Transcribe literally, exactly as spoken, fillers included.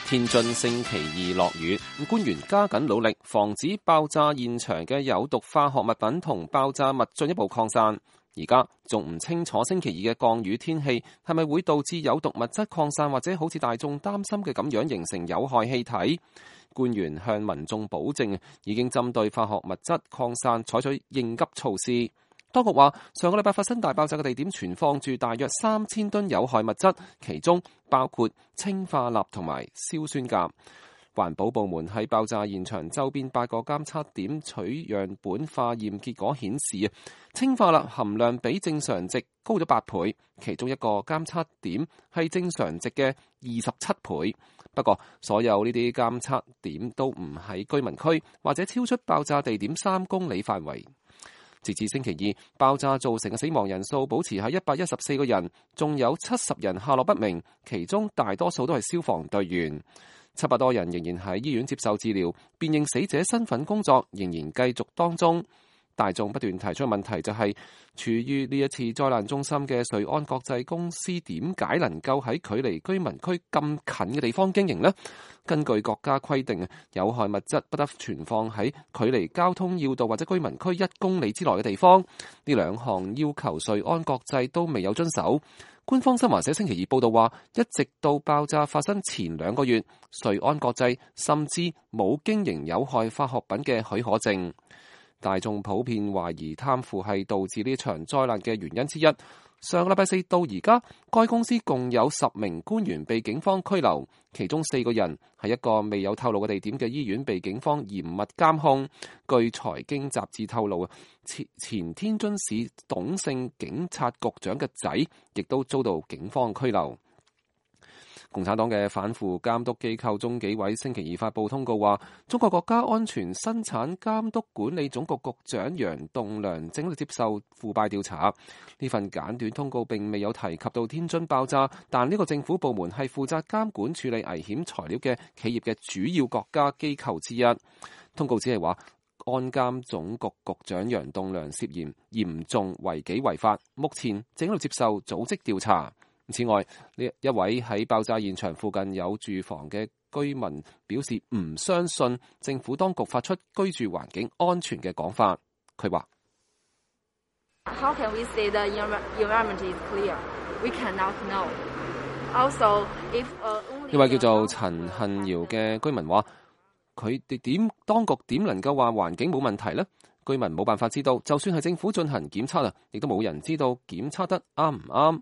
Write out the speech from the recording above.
天津星期二落雨，官員加緊努力防止爆炸現場嘅有毒化學物品同爆炸物進一步擴散。而家仲唔清楚星期二嘅降雨天氣係咪會導致有毒物質擴散，或者好似大眾擔心嘅咁樣形成有害氣體。官員向民眾保證已經針對化學物質擴散採取應急措施。當局話，上個禮拜發生大爆炸嘅地點存放住大約三千噸有害物質，其中包括氰化鈉同埋硝酸鉀。環保部門喺爆炸現場周邊八個監測點取樣本化驗結果顯示，啊，氰化鈉含量比正常值高咗八倍，其中一個監測點係正常值嘅二十七倍。不過，所有呢啲監測點都唔喺居民區或者超出爆炸地點三公里範圍。截至星期二，爆炸造成嘅死亡人數保持喺一百一十四個人，仲有七十人下落不明，其中大多數都係消防隊員。七百多人仍然喺醫院接受治療，辨認死者身份工作仍然繼續當中。大眾不斷提出嘅問題就係，處於呢一次災難中心嘅瑞安國際公司點解能夠喺距離居民區咁近嘅地方經營呢？根據國家規定，有害物質不得存放喺距離交通要道或者居民區一公里之內嘅地方。呢兩項要求瑞安國際都未有遵守。官方新華社星期二報道話，一直到爆炸發生前兩個月，瑞安國際甚至冇經營有害化學品嘅許可證。大眾普遍懷疑貪腐係導致呢場災難嘅原因之一。上個禮拜四到而家，該公司共有十名官員被警方拘留，其中四個人喺一個未有透露嘅地點嘅醫院被警方嚴密監控。據財經雜誌透露，前前天津市董姓警察局長嘅仔亦都遭到警方拘留。共產黨嘅反腐監督機構中紀委星期二發布通告話，中國國家安全生產監督管理總局局長楊棟樑正喺度接受腐敗調查。呢份簡短通告並未有提及到天津爆炸，但呢個政府部門係負責監管處理危險材料嘅企業嘅主要國家機構之一。通告只係話，安監總局局長楊棟樑涉嫌嚴重違紀違法，目前正喺度接受組織調查。此外，呢一位喺爆炸現場附近有住房嘅居民表示唔相信政府當局發出居住環境安全嘅講法。佢話：How can we say the environment is clear? We cannot know. Also, if 呢位叫做陳恨堯嘅居民話：佢哋點當局點能夠話環境冇問題呢？居民冇辦法知道，就算係政府進行檢測啊，亦都冇人知道檢測得啱唔啱。